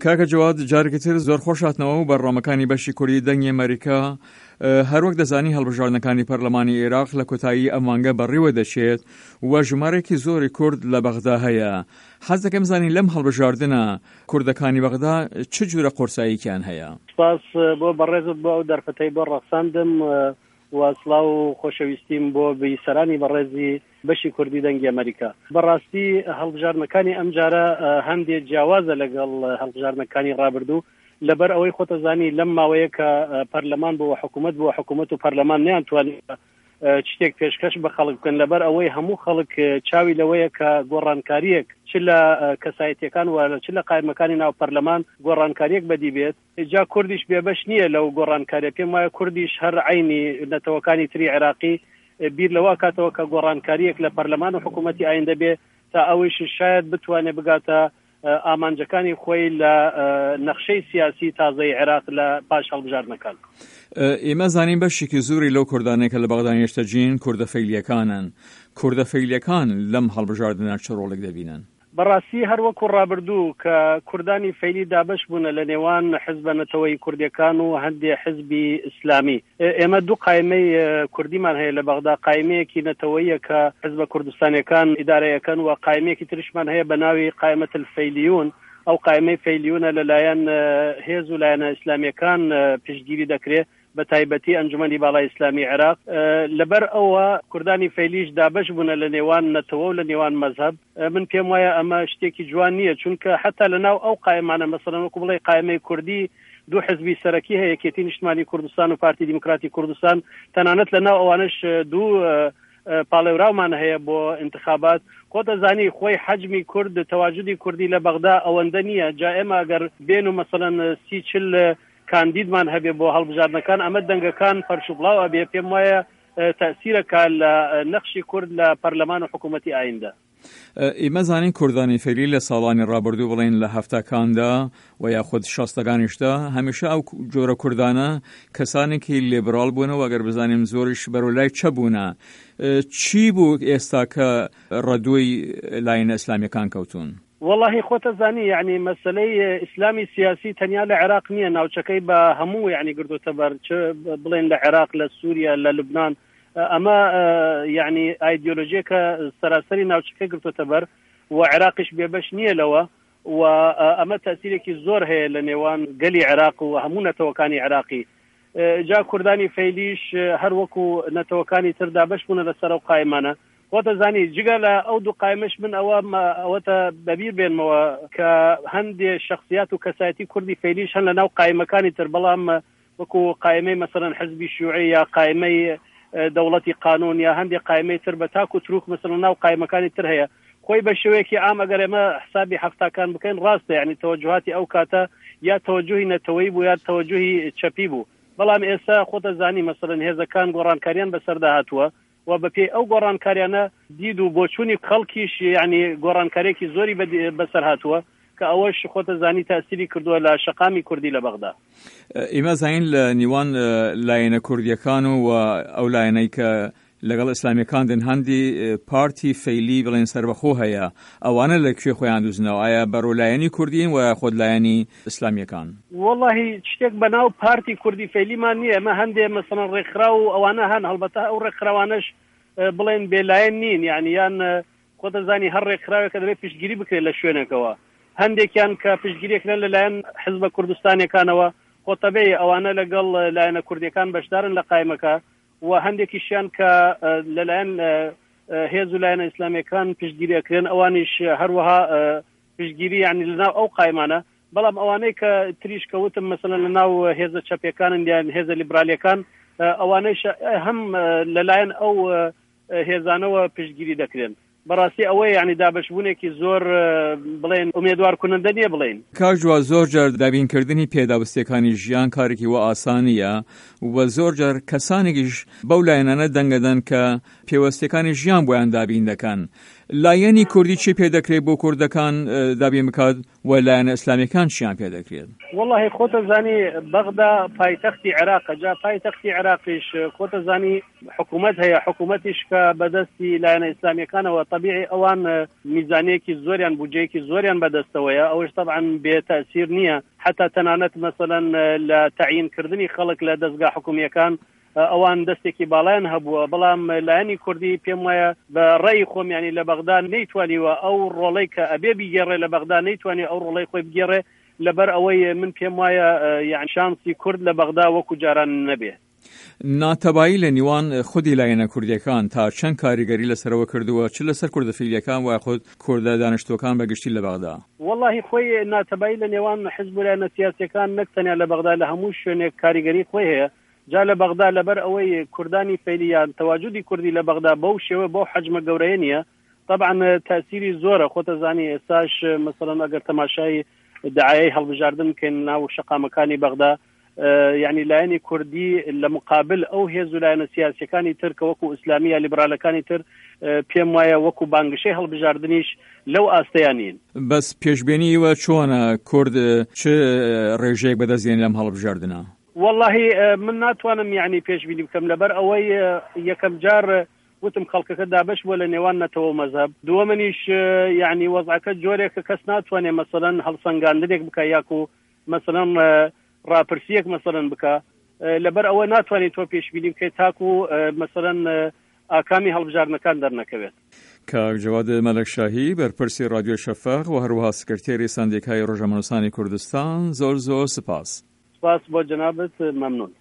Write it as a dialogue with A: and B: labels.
A: کاکە جەواد جارێکی تر زۆر خۆش هاتنەوە و بەرنامەکانی بەشی کوردی دەنگی ئەمەریکا. هەروەک دەزانی هەڵبژاردنەکانی پەرلەمانی ئێراق لە کۆتایی ئەم مانگە بەڕیوە دەچێت و ژمارەیەکی زۆری کورد لە بەغدا هەیە. حەز دەکەم بزانین لەم هەڵبژاردنە کوردەکانی بەغدا چ جورە قورساییکیان هەیە؟
B: سپاس بۆ بەڕێزت بۆ ئەو دەرفەتەی بۆ ڕەخساندم و سڵاو و خۆشەویستیم بۆ بیسەرانی بەڕێزی بەشی کوردی دەنگی ئەمەریکا. بەڕاستی هەڵبژاردنەکانی ئەمجارە هەندێ جیاوازە لەگەڵ هەڵبژاردنەکانی ڕابردوو، لەبەر ئەوەی خۆتەزانی لەم ماوەیە کە پەرلەمان بووە حکوومەت بووە حکوومەت و پەرلەمان نەیانتوانی شتێک پێشکەش بە خەڵک بکەن لەبەر ئەوەی هەموو خەڵک چاوی لەوەیە کە گۆڕانکاریەک چ لە کەسایەتیەکان و چ لە قایمەکانی ناو پەرلەمان گۆڕانکاریەک بەدی بێت جا کوردیش بێبەش نییە لەو گۆڕانکاریە پێم وایە کوردیش هەر عەینی نەتەوەکانی تری عێراقی بیر لەوە کاتەوە کە گۆڕانکاریەک لە پەرلەمان و حکوومەتی ئایندە بێ تا ئەوەیش شاید بتوانێت بگاتە ئامانجەکانی خۆی لە نەخشەی سیاسی تازەی عێراق لە پاش هەڵبژاردنەکان.
A: ئێمە زانین بەشێکی زۆری لەو کوردانەی کە لە بەغدا نیشتەجین کوردە فەیلییەکانن، کوردە فەیلییەکان لەم هەڵبژاردنە چ ڕۆڵێک دەبینن؟
B: بەڕاستی هەر وەکو ڕابردوو کە کوردانی فەیلی دابەش بوونە لە نێوان حزبە نەتەوەیی کوردیەکان و هەندێ حزبی ئیسلامی، ئێمە دوو قایمەی کوردیمان هەیە لە بەغدا، قایمەیەکی نەتەوەییە کە حزبە کوردستانیەکان ئیدارەی ئەکەن و قایمەیەکی تریشمان هەیە بە ناوی قایمە الفەیلیون، ئەو قایمەی فەیلیونە لە لایەن هێز و لایەنە ئیسلامیەکان پشتگیری دەکرێ بە تایبەتی ئەنجومەنی باڵای ئیسلامی عێراق. لەبەر ئەوە کوردانی فەیلیش دابەش بوونە لە نێوان نەتەوە و لە نێوان مەزهەب. من پێم وایە ئەمە شتێکی جوان نییە، چونکە حەتا لە ناو ئەو قایمانە مەسەلەن وەکو بڵێی قایمەی کوردی دوو حزبی سەرەکی هەیە، یەکێتی نیشتمانی کوردستان و پارتی دیموکراتی کوردستان، تەنانەت لە ناو ئەوانەش دوو پاڵێوراومان هەیە بۆ ئینتخابات. خۆت ئەزانی خۆی حەجمی کورد، تەواجودی کوردی لە بەغدا ئەوەندە نییە، جا ئێمە ئەگەر بێن و مەسەلەن 30 40 کاندیدمان هەبێ بۆ هەڵبژاردنەکان ئەمە دەنگەکان پەرشوبڵاو ئەبێ، پێم وایە تەئسیرەکا لە نەخشی کورد لە پەرلەمان و حکوومەتی ئایندە.
A: ئیمە زانین کوردانی فەیلی لە ساڵانی ڕابردوو بڵێن لە هەفتاکاندا و یاخود شەستەکانیشدا هەمیشە ئەو جۆرە کوردانە کەسانێکی لیبراڵ بوونە و ئەگەر بزانین زۆریش بەرەو لای چە بوونە چی بوو ئێستا کە ڕەدووی لایەنە ئیسلامیەکان کەوتوون؟
B: وەڵاهی خۆتەزانی یەعنی مەسەلەی ئیسلامی سیاسی تەنیا لە عێراق نییە ناوچەکەی بە هەموو یەعنی گرتۆتە بەر چ بڵێن لە عێراق لە سووریا لە لوبناان ئەمە یەعنی ئایدیۆلۆژیەکە سەراسەری ناوچەکەی گرتۆتە بەر و عێراقیش بێبەش نییە لەوە و ئەمە تەسیرێکی زۆر هەیە لە نێوان گەلی عێراق و هەموو نەتەوەکانی عێراقی جا کوردانی فەیلیش هەر وەکو نەتەوەکانی تر دابەش بوونە لەسەر ئەو قایمانە خۆت ئەزانی جگە لە ئەو دوو قایمەش من ئەوە ئەوەتە بەبیر بێنمەوە کە هەندێ شخصیات و کەسایەتی کوردی فەیلیش هەن لە ناو قایمەکانی تر بەڵام وەکو قایمەی مەسەلەن حزبی شیوعی یا قایمەی دەوڵەتی قانون یا هەندێک قایمەی تر بە تاک و تروک مەسەلەن ناو قایمەکانی تر هەیە خۆی بە شێوەیەکی عام ئەگەر ئێمە حسابی حەفتاکان بکەین ڕاستە یعنی تەوەجوهاتی ئەو کاتە یا تەوەجوهی نەتەوەیی بوو یا تەوەجوهی چەپی بوو بەڵام ئێستا خۆتە زانی مەسەلەن هێزەکان گۆڕانکاریان بەسەردا هاتووە و بەپێی ئەو گۆڕانکاریانە دید و بۆچوونی خەڵکیش یعنی گۆڕانکاریەکی زۆری بەسەر هاتووە کە ئەوەش خۆتە زانی تاسیری کردووە لە شەقامی کوردی لە بەغدا.
A: ئیمە زانین لە نیوان لایەنە کوردیەکان و ئەو لایەنەی کە لەگەڵ ئیسلامیەکان دێن هەندی پارتی فەیلی بڵێن سەربەخۆ هەیە ئەوانە لە کوێ خۆیان دوزنەوە ئایا بەرەو لایەنی کوردین و یاخود لایەنی ئیسلامیەکان؟
B: وەڵاهی شتێک بە ناو پارتی کوردی فەیلیمان نییە ئێمە هەندێ مەسەڵەن ڕێکخراو و ئەوانە هەن هەڵبەتە ئەو ڕێکخراوانەش بڵێن بێلایەن نین یعنی یان خۆت دەزانی هەر ڕێکخراوێکە دەبێت پشتگیری بکرێت لە شوێنێکەوە هەندێکیان کە پشتگیریەکرێن لەلایەن حزبە کوردستانیەکانەوە خۆ تەبعی ئەوانە لەگەڵ لایەنە کوردیەکان بەشدارن لە قایمەکە و هەندێکیشیان کە لەلایەن هێز و لایەنە ئیسلامیەکان پشتگیری ئەکرێن ئەوانیش هەروەها پشتگیری یعنی لەناو ئەو قایمانە بەڵام ئەوانەی کە تریش کە وتم مەسەلەن لەناو هێزە چەپیەکانن یان هێزە لیبرالیەکان ئەوانەیش هەم لەلایەن ئەو هێزانەوە پشتگیری دەکرێن. بەڕاستی ئەوەیە یانی دابەشبوونێکی زۆر بڵێن ئومێدوار کونندە نییە بڵێین.
A: کاک جواد زۆر جار دابینکردنی پێداوستیەکانی ژیان کارێکی وا ئاسان نییە و زۆر جار کەسانێکیش بەو لایەنانە دەنگ ئەدەن کە پێوەستیەکانی ژیان بۆیان دابین دەکەن. لایەنی کوردی چی پێ دەکرێت بۆ کوردەکان دابین بکات و لایەنە ئیسلامیەکان چیان پێ دەکرێت؟
B: وەڵاهی خۆتەزانی بەغدا پایتەختی عێراقە جا پایتەختی عێراقیش خۆتەزانی حکوومەت هەیە حکوومەتیش کە بەدەستی لایەنە ئیسلامیەکانەوە تەبیعی ئەوان میزانیەکی زۆریان بودجەیەکی زۆریان بەدەستەوەیە ئەوەش تەبعەن بێ تەئسیر نییە حەتا تەنانەت مەسەلەن لە تەعیین کردنی خەڵک لە دەزگا حکومییەکان ئەوان دەستێکی باڵایان هەبووە، بەڵام لایەنی کوردی پێم وایە بە ڕەئی خۆم یانی لە بەغدا نەیتوانیوە ئەو ڕۆڵەی کە ئەبێ بیگێڕێ لە بەغدا نەیتوانیوە ئەو ڕۆڵەی خۆی بگێڕێ لەبەر ئەوەی من پێم وایە یانی شانسی کورد لە بەغدا وەکو جاران نەبێ.
A: ناتەبایی لە نیوان خودی لایەنە کوردیەکان تا چەند کاریگەری لەسەرەوە کردووە چ لەسەر کوردە فیلیەکان ویاخود کوردە دانیشتووەکان بە گشتی لە بەغدا؟
B: وەڵاهی خۆی ناتەبایی لە نێوان حزب و لایەنە سیاسیەکان نەک تەنیا لە بەغدا لە هەموو شوێنێک کاریگەری خۆی هەیە جا لە بەغدا لەبەر ئەوەی کوردانی فەیلی یان تەواجودی کوردی لە بەغدا بەو شێوە بەو حەجمە گەورەیە نییە تەبعەن تەئسیری زۆرە خۆتەزانی ئێستاش مەسەڵەن ئەگەر تەماشای دعایەی هەڵبژاردن بکەین ناو شەقامەکانی بەغدا یعنی لایەنی کوردی لە مقابل ئەو هێز و لایەنە سیاسەکانی تر کە وەکو ئیسلامی یا لیبرالەکانی تر پێم وایە وەکو بانگشەی هەڵبژاردنیش لەو ئاستەیان نین.
A: بەس پێشبێنی ئیوە چۆنە کورد چ ڕێژەیەک بەدەست دێنێ لەم هەڵبژاردنە؟
B: وەڵاهی من ناتوانم یعنی پێشبینی بکەم لەبەر ئەوەی یەکەم جار وتم خەڵکەکە دابەش بووە لە نێوان نەتەوە و مەزهەب دووەمنیش یعنی وەزعەکە جۆرێکە کەس ناتوانێ مەسەلەن هەڵسەنگاندنێک بکە یاکو مەسەلەن ڕاپرسیەک مەسەلەن بکە لەبەر ئەوە ناتوانێت تۆ پێشبینی بکەیت تاکو مەسەلەن ئاکامی هەڵبژاردنەکان دەرنەکەوێت.
A: کاک جەواد مەلەکشاهی بەرپرسی ڕادیۆی شەفەق و هەروەها سکرتێری سەندیکای ڕۆژنامەنووسانی کوردستان زۆر زۆر سپاس.
B: سپاس بۆ جەنابت مەمنوون.